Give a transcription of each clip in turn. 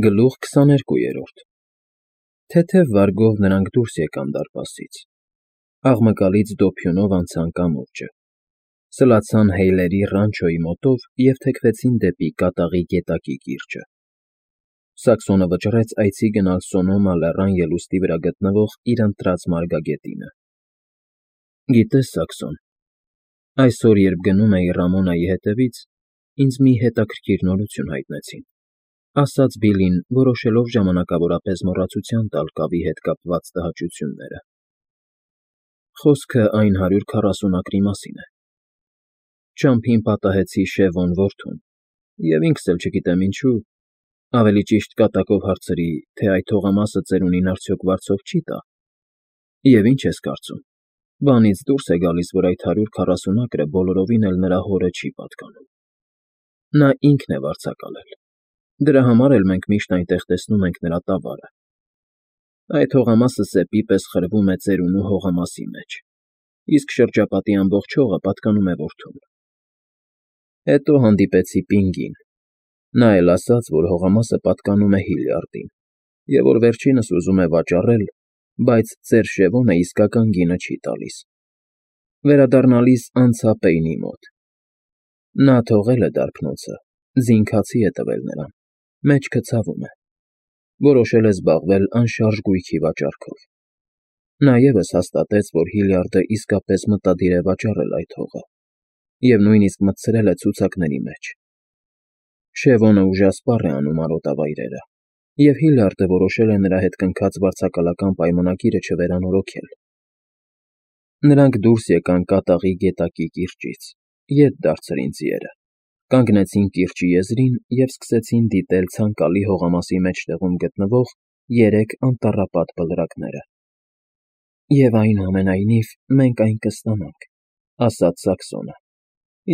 Գլուխ 22 Թեթև վարգով նրանք դուրս եկան դարպասից, աղմկալից դոփյունով անցան կամուրջը, սլացան Հեյլերի ռանչոյի մոտով և թեքվեցին դեպի կատաղի գետակի կիրճը։ Սաքսոնը վճռեց այցի գնալ Սոնոմա լեռան ելուստի վրա գտնվող իր ընտրած մարգագետինը։ Գիտես, Սաքսոն, այսօր, երբ գնում էի Ռամոնայի հետևից, ինձ մի հետաքրքիր նորություն հայտնեցին, ասաց Բիլլին, որոշելով ժամանակավորապես մոռացության տալ կավի հետ կապված տհաճությունները։ Խոսքը այն 140 ակրի մասին է։ Ճամփին պատահեցի Շևոն որդուն, և ինքս էլ չգիտեմ ինչու, ավելի ճիշտ կատակով հարցրի, թե այդ հողամասը ծերունին արդյոք վարձով չի տա։ Եվ ինչ ես կարծում, բանից դուրս է գալիս, որ այդ 140 ակրը բոլորովին էլ նրա հորը չի պատկանում։ Նա ինքն է վարձակալել։ Դրա համար էլ մենք միշտ այնտեղ տեսնում ենք նրա տավարը։ Այդ հողամասը սեպի պես խրվում է ծերունու հողամասի մեջ, իսկ շրջապատի ամբողջ հողը պատկանում է որդուն։ Հետո հանդիպեցի Պինգին։ Նա էլ ասաց, որ հողամասը պատկանում է Հիլյարդին, և որ վերջինս ուզում է վաճառել, բայց ծեր Շևոնը իսկական գինը չի տալիս։ Վերադառնալիս անցա Պեյնի մոտ։ Նա թողել է դարբնոցը, զինքացի է տվել նրան, մեջքը ցավում է։ Որոշել է զբաղվել անշարժ գույքի վաճառքով։ Նա ևս հաստատեց, որ Հիլյարդը իսկապես մտադիր է վաճառել այդ հողը, և նույնիսկ մտցրել է ցուցակների մեջ։ Շևոնը ուժասպառ է անում արոտավայրերը, և Հիլյարդը որոշել է նրա հետ կնքած վարձակալական պայմանագիրը չվերանորոգել։ Նրանք դուրս եկան կատաղի գետակի կիրճից, ետ դարձրին ձիերը, կանգնեցին կիրճի եզրին և սկսեցին դիտել ցանկալի հողամասի մեջտեղում գտնվող 3 անտառապատ բլրակները։ «Եվ այնուամենայնիվ մենք այն կստանանք», ֊ ասաց Սաքսոնը։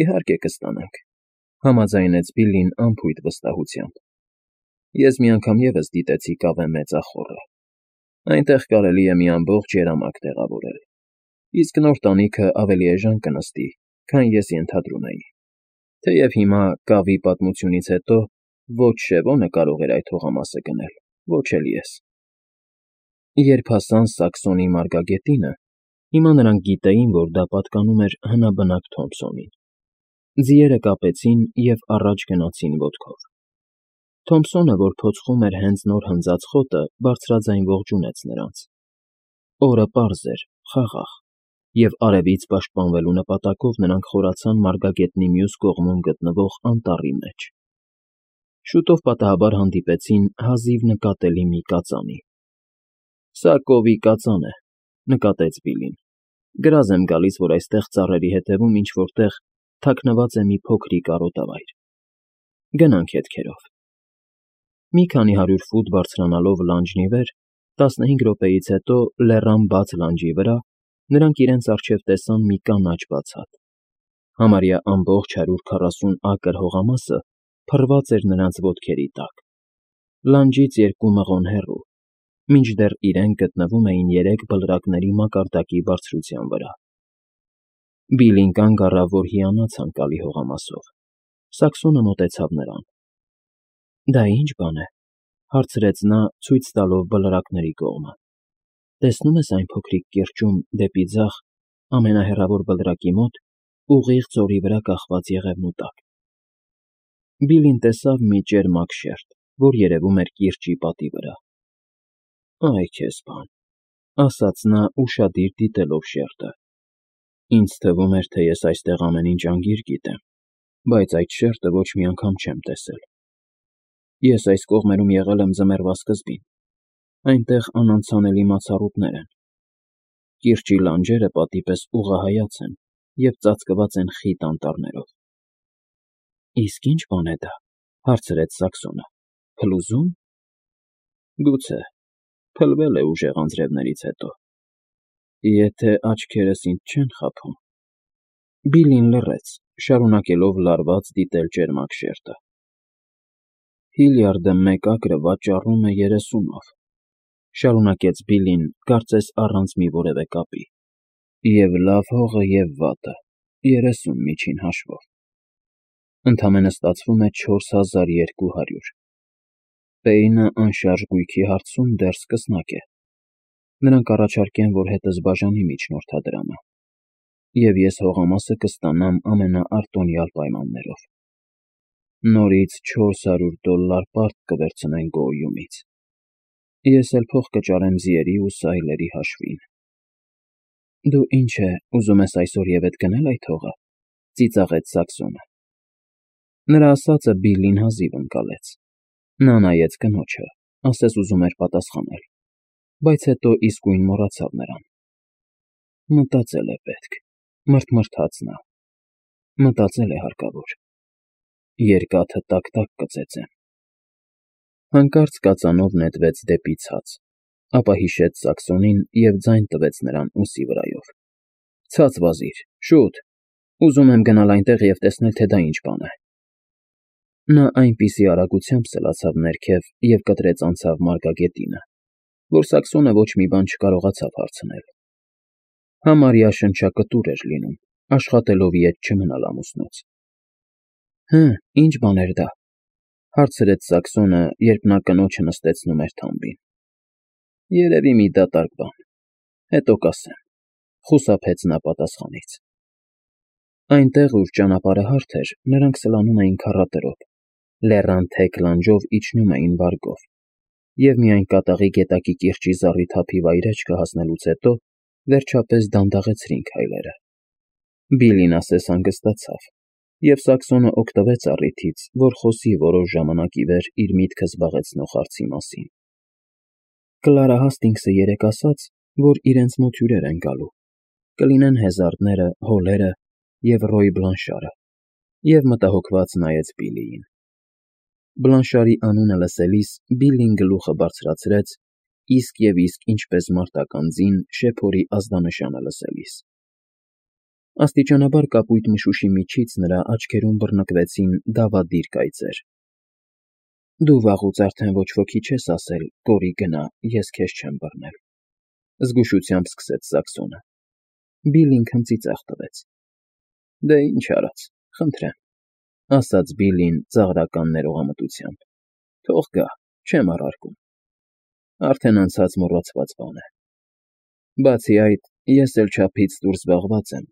«Իհարկե կստանանք», ֊ համաձայնեց Բիլլին անփույթ վստահությամբ։ «Ես մի անգամ ևս դիտեցի կավե մեծախոռը։ Այնտեղ կարելի է մի ամբողջ երամակ տեղավորել, իսկ նոր տանիքը ավելի էժան կնստի, քան ես ենթադրում էի։ Թեև հիմա, կավի պատմությունից հետո, ոչ Շևոնը կարող էր այդ հողամասը գնել, ոչ էլ ես»։ Երբ հասան Սաքսոնի մարգագետինը, հիմա նրանք գիտեին, որ դա պատկանում էր հնաբնակ Թոմփսոնին։ Ձիերը կապեցին և առաջ գնացին ոտքով։ Թոմփսոնը, որ փոցխում էր հենց նոր հնձած խոտը, բարձրաձայն ողջունեց նրանց։ Օրը պարզ էր, խաղաղ, և արևից պաշտպանվելու նպատակով նրանք խորացան մարգագետնի մյուս կողմում գտնվող անտառի մեջ։ Շուտով պատահաբար հանդիպեցին հազիվ նկատելի մի կածանի։ «Սա կովի կածան է», ֊ նկատեց Բիլլին։ «Գրազ եմ գալիս, որ այստեղ ծառերի հետևում ինչ֊որ տեղ թաքնված է մի փոքրիկ արոտավայր։ Գնանք հետքերով»։ Մի քանի 100 ֆուտ բարձրանալով լանջն ի վեր, 15 րոպեից հետո լեռան բաց լանջի վրա նրանք իրենց առջև տեսան մի կանաչ բացատ։ Համարյա ամբողջ 140 ակր հողամասը փռված էր նրանց ոտքերի տակ, լանջից 2 մղոն հեռու, մինչդեռ իրենք գտնվում էին 3 բլրակների մակարդակի բարձրության վրա։ Բիլլին կանգ առավ, որ հիանա ցանկալի հողամասով։ Սաքսոնը մոտեցավ նրան։ «Դա ի՞նչ բան է», ֊ հարցրեց նա, ցույց տալով բլրակների կողմը։ «Տեսնում ես այն փոքրիկ կիրճում, դեպի ձախ, ամենահեռավոր բլրակի մոտ, ուղիղ ձորի վրա կախված եղևնու տակ»։ Բիլլին տեսավ մի ճերմակ շերտ, որ երևում էր կիրճի պատի վրա։ «Այ քեզ բան», ֊ ասաց նա, ուշադիր դիտելով շերտը։ «Ինձ թվում էր, թե ես այստեղ ամեն ինչ անգիր գիտեմ, բայց այդ շերտը ոչ մի անգամ չեմ տեսել։ Ես այս կողմերում եղել եմ ձմեռվա սկզբին, այնտեղ անանցանելի մացառուտներ են։ Կիրճի լանջերը պատի պես ուղղահայաց են և ծածկված են խիտ անտառներով»։ «Իսկ ի՞նչ բան է դա», ֊ հարցրեց Սաքսոնը։ «Փլուզո՞ւմ»։ «Գուցե, փլվել է ուժեղ անձրևներից հետո, եթե աչքերս ինձ չեն խաբում»։ Բիլլին լռեց, շարունակելով լարված դիտել ճերմակ շերտը։ «Հիլյարդը 1 ակրը վաճառում է 30-ով», ֊ շարունակեց Բիլլին, կարծես առանց մի որևէ կապի, «և լավ հողը և վատը՝ 30 միջին հաշվով։ Ընդամենը ստացվում է 4200։ Պեյնը անշարժ գույքի հարցում դեռ սկսնակ է։ Նրանք առաջարկեն, որ հետս բաժանի միջնորդադրամը, և ես հողամասը կստանամ ամենաարտոնյալ պայմաններով։ Նորից $400 պարկ կվերցնեն Գոյումից։ Ես էլ փող կճարեմ ձիերի ու սայլերի հաշվին։ Դու ինչ է, ուզում ես այսօր և էդ գնել այդ հողը, ծիծաղեց Սաքսոնը։ Նրա ասածը Բիլլին հազիվ ընկալեց։ Նա նայեց կնոջը, ասես ուզում էր պատասխանել, բայց հետո իսկույն մոռացավ նրան։ Մտածել է պետք, մռթմռթաց նա։ Մտածել է հարկավոր։ Երկաթը տակ-տակ կծեծեմ։ Հանկարծ կածանով նետվեց դեպի ցած, ապա հիշեց Սաքսոնին և ձայն տվեց նրան ուսի վրայով։ Ցած վազիր, շուտ, ուզում եմ գնալ այնտեղ և տեսնել, թե դա ինչ բան է։ Նա այնպիսի արագությամբ սլացավ ներքև և կտրեց անցավ մարգագետինը, որ Սաքսոնը ոչ մի բան չկարողացավ հարցնել։ Համարյա շնչակտուր էր լինում, աշխատելով ետ չմնալ ամուսնուց։ Հը, ինչ բան էր դա, հարցրեց Սաքսոնը, երբ նա կնոջը նստեցնում էր թամբին։ Երևի մի դատարկ բան, հետո կասեմ, խուսափեց նա պատասխանից։ Այնտեղ, ուր ճանապարհը հարթ էր, նրանք սլանում էին քառատրոտ, լեռան թեք լանջով իջնում էին վարգով, և միայն կատաղի գետակի կիրճի զառիթափի վայրէջքը հասնելուց հետո վերջապես դանդաղեցրին քայլերը։ Բիլլին ասես հանգստացավ, և Սաքսոնը օգտվեց առիթից, որ խոսի որոշ ժամանակ ի վեր իր միտքը զբաղեցնող հարցի մասին։ Կլարա Հասթինգսը երեկ ասաց, որ իրենց մոտ հյուրեր են գալու, կլինեն Հեզարդները, Հոլերը և Ռոյ Բլանշարը, և մտահոգված նայեց Բիլլիին։ Բլանշարի անունը լսելիս Բիլլին գլուխը բարձրացրեց, իսկ և իսկ ինչպես մարտական ձին շեփորի ազդանշանը լսելիս։ Աստիճանաբար կապույտ մշուշի միջից նրա աչքերում բռնկվեցին դավադիր կայծեր։ Դու վաղուց արդեն ոչ ոքի չես ասել, կորի գնա, ես քեզ չեմ բռնել, զգուշությամբ սկսեց Սաքսոնը։ Բիլլին քնծիծաղ տվեց։ Դե ինչ արած, խնդրեմ, ասաց Բիլլին ծաղրական ներողամտությամբ։ Թող գա, չեմ առարկում։ Արդեն անցած մոռացված բան է։ Բացի այդ, ես էլ չափից դուրս զբաղված եմ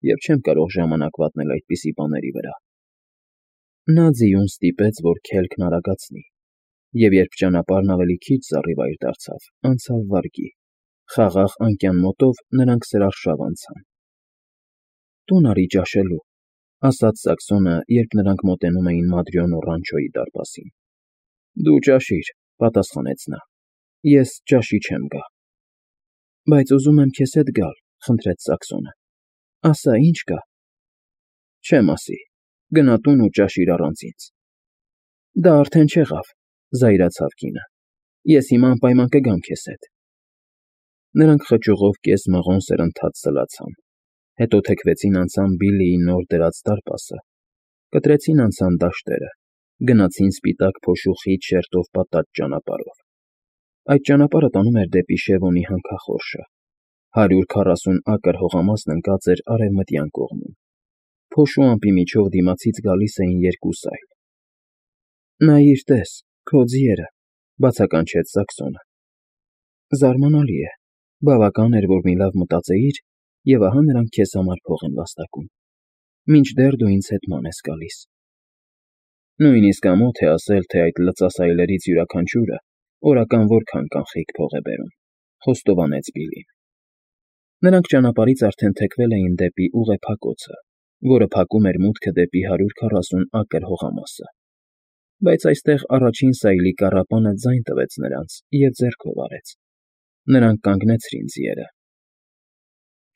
և չեմ կարող ժամանակ վատնել այդպիսի բաների վրա։ Նա ձիուն ստիպեց, որ քելքն արագացնի, և երբ ճանապարհն ավելի քիչ զառիվայր դարձավ, անցավ վարգի, խաղաղ անկյան մոտով նրանք սրարշավ անցան։ Տուն արի ճաշելու, ասաց Սաքսոնը, երբ նրանք մոտենում էին Մադրյոնո Ռանչոյի դարպասին։ Դու ճաշիր, պատասխանեց նա, ես ճաշի չեմ գա։ Բայց ուզում եմ քեզ հետ գալ, խնդրեց Սաքսոնը։ Ասա, ինչ կա։ Չեմ ասի, գնա տուն ու ճաշիր առանց ինձ։ Դա արդեն չեղավ, զայրացավ կինը։ Ես հիմա անպայման կգամ քեզ հետ։ Նրանք խճուղով կես-մղոն սրընթաց սլացան, հետո թեքվեցին անցան Բիլլիի նոր դրած դարպասը, կտրեցին անցան դաշտերը, գնացին սպիտակ փոշու խիտ շերտով պատած ճանապարհով։ Այդ ճանապարհը տանում էր դեպի Շևոնի հանքախորշը։ 140 ակր հողամասն ընկած էր արևմտյան կողմում։ Փոշու ամպի միջով դիմացից գալիս էին երկու սայլ։ Նայիր, տես, քո ձիերը, բացականչեց Սաքսոնը։ Զարմանալի է, բավական էր, որ մի լավ մտածեիր, և ահա նրանք քեզ համար փող են վաստակում, մինչդեռ դու ինձ հետ ման ես գալիս։ Նույնիսկ ամոթ է ասել, թե այդ լծասայլերից յուրաքանչյուրը օրական որքան կանխիկ փող է բերում, խոստովանեց Բիլլին։ Նրանք ճանապարհից արդեն թեքվել էին դեպի ուղեփակոցը, որը փակում էր մուտքը դեպի 140 ակր հողամասը։ Բայց այստեղ առաջին սայլի կառապանը ձայն տվեց նրանց և ձեռքով արեց։ Նրանք կանգնեցրին ձիերը։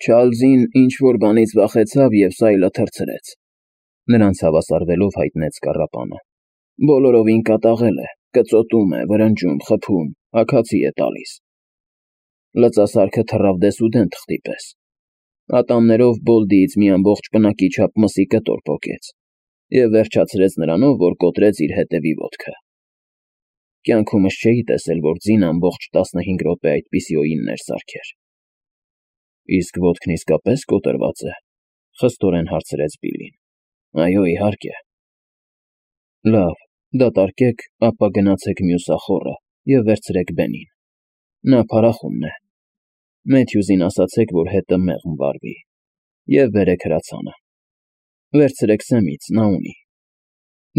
Չարլզին ինչ-որ բանից վախեցավ և սայլը թռցրեց։ Նրանց հավասարվելով հայտնեց կառապանը։ Բոլորովին կատաղել է, կծոտում է, վրնջում, խփում, աքացի է տալիս։ Լծասարքը թռավ դեսուդեն թղթի պես։ Ատամներով Բոլդիից մի ամբողջ պնակի չափ մսի կտոր պոկեց և վերջացրեց նրանով, որ կոտրեց իր հետևի ոտքը։ Կյանքումս չէի տեսել, որ ձին ամբողջ 15 րոպե այդպիսի օիններ սարքեր։ Իսկ ոտքն իսկապես կոտրված է, խստորեն հարցրեց Բիլլին։ Այո, իհարկե։ Լավ, Դատարկեք, ապա գնացեք մյուս ախոռը և վերցրեք Բենին. նա փարախումն է։ Մեթյուզին ասացեք, որ հետը մեղմ վարվի, և բերեք հրացանը։ Վերցրեք Սեմից, նա ունի։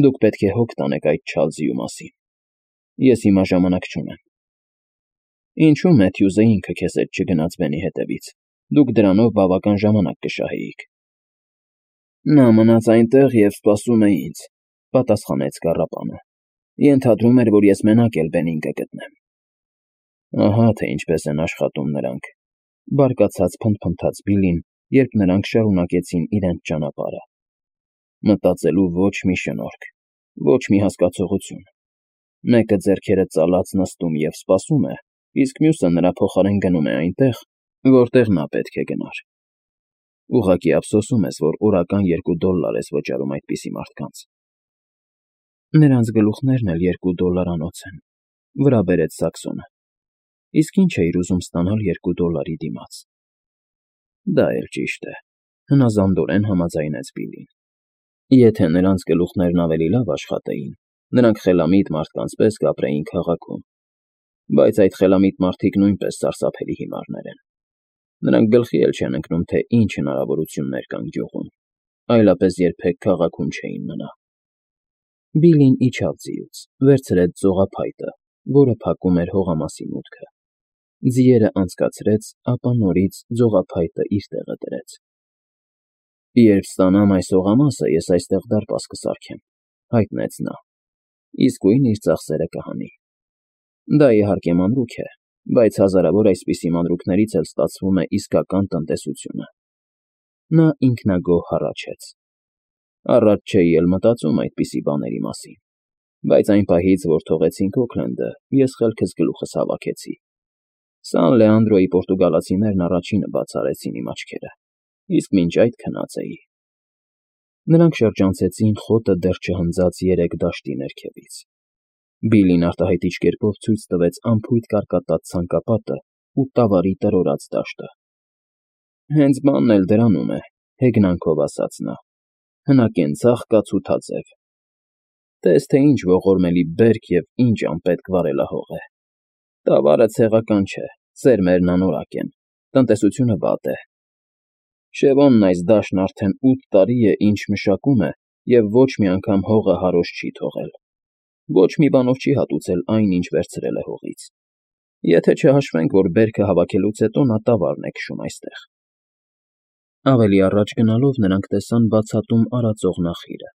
Դուք պետք է հոգ տանեք այդ Չարլզիու մասին։ Ես հիմա ժամանակ չունեմ։ Ինչու Մեթյուզը ինքը քեզ հետ չգնաց Բենի հետևից։ Դուք դրանով բավական ժամանակ կշահեիք։ Նա մնաց այնտեղ և սպասում է ինձ, պատասխանեց կառապանը։ Ենթադրում էր, որ ես մենակ էլ Բենին կգտնեմ։ Ահա թե ինչպես են աշխատում նրանք, բարկացած փնթփնթաց Բիլին, երբ նրանք շարունակեցին իրենց ճանապարհը։ Մտածելու ոչ մի շնորհք, ոչ մի հասկացողություն։ Մեկը ձեռքերը ծալած նստում և սպասում է, իսկ մյուսը նրա փոխարեն գնում է այնտեղ, որտեղ նա պետք է գնար։ Ուղղակի ափսոսում ես, որ օրական $2 ես վճարում այդպիսի մարդկանց։ Նրանց գլուխներն էլ $2 են, վրա բերեց Սաքսոնը։ Իսկ ինչ էիր ուզում ստանալ $2 դիմաց։ Դա էլ ճիշտ է, հնազանդորեն համաձայնեց Բիլին։ Եթե նրանց գլուխներն ավելի լավ աշխատեին, նրանք խելամիտ մարդկանց պես կապրեին քաղաքում։ Բայց այդ խելամիտ մարդիկ նույնպես սարսափելի հիմարներ են։ Նրանք գլխի էլ չեն ընկնում, թե ինչ հնարավորություններ կան գյուղում, այլապես երբեք քաղաքում չէին մնա։ Բիլին իջավ ձիուց, վերցրեց ձողափայտը, որը փակում էր հողամասի մուտքը։ Ձիերը անցկացրեց, ապա նորից ձողափայտը իր տեղը դրեց։ Երբ ստանամ այս հողամասը, ես այստեղ դարպաս կսարքեմ, հայտնեց նա։ Իսկույն իր ծախսերը կհանի։ Դա իհարկե մանրուք է, բայց հազարավոր այսպիսի մանրուքներից էլ ստացվում է իսկական տնտեսությունը։ Նա ինքնագոհ հառաչեց։ Առաջ չէի էլ մտածում այդպիսի բաների մասին, բայց այն պահից, որ թողեցինք Օքլենդը, ես խելքս գլուխս հավաքեցի։ Սան Լեանդրոյի պորտուգալացիներն առաջինը բաց արեցին իմ աչքերը, իսկ մինչ այդ քնած էի։ Նրանք շրջանցեցին խոտը դեռ չհնձած 3 դաշտի ներքևից։ Բիլին արտահայտիչ կերպով ցույց տվեց անփույթ կարկատած ցանկապատը ու տավարի տրորած դաշտը։ Հենց բանն էլ դրանում է, հեգնանքով ասաց նա։ Հնակենցաղ կացութաձև։ Տես թե ինչ ողորմելի բերք և ինչ անպետք վարելահող է։ Տավարը ցեղական չէ, սերմերն անորակ են, տնտեսությունը վատ է։ Շևոնն այս դաշտն արդեն 8 տարի է, ինչ մշակում է և ոչ մի անգամ հողը հարոշ չի թողել։ Ոչ մի բանով չի հատուցել այն, ինչ վերցրել է հողից։ Եթե չհաշվենք, որ բերքը հավաքելուց հետո նա տավարն է քշում այստեղ։ Ավելի առաջ գնալով նրանք տեսան բացատում արածող նախիրը։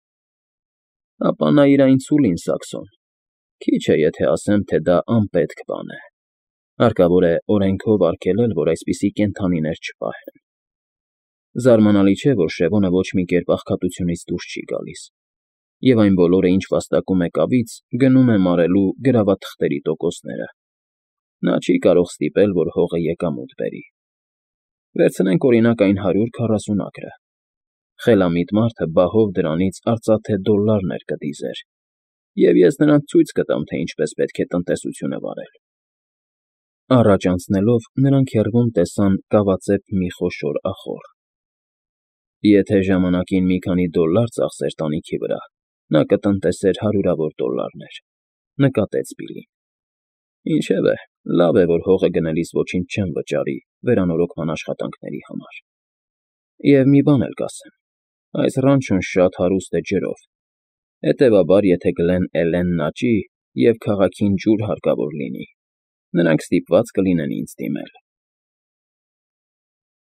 Ապա նայիր այն ցուլին, Սաքսոն։ Քիչ է, եթե ասեմ, թե դա անպետք բան է։ Հարկավոր է օրենքով արգելել, որ այսպիսի կենդանիներ չպահեն։ Զարմանալի չէ, որ Շևոնը ոչ մի կերպ աղքատությունից դուրս չի գալիս, և այն բոլորը, ինչ վաստակում է կավից, գնում է մարելու գրավաթղթերի տոկոսները։ Նա չի կարող ստիպել, որ հողը եկամուտ բերի։ Վերցնենք օրինակ այն 140 ակրը։ Խելամիտ մարդը բահով դրանից արծաթե $-ներ կդիզեր, և ես նրանց ցույց կտամ, թե ինչպես պետք է տնտեսությունը վարել։ Առաջ անցնելով, նրանք հեռվում տեսան կավածեպ մի խոշոր ախոռ։ Եթե ժամանակին մի քանի $, ծախսեր տանիքի վրա, նա կտնտեսեր հարյուրավոր $-ներ, նկատեց Բիլին։ Ինչևէ, լավ է, որ հողը գնելիս ոչինչ չեմ վճարի վերանորոգման աշխատանքների համար։ Եվ մի բան էլ կասեմ. այս ռանչոն շատ հարուստ է ջրով, հետևաբար, եթե Գլեն Էլենն աճի և քաղաքին ջուր հարկավոր լինի, նրանք ստիպված կլինեն ինձ դիմել։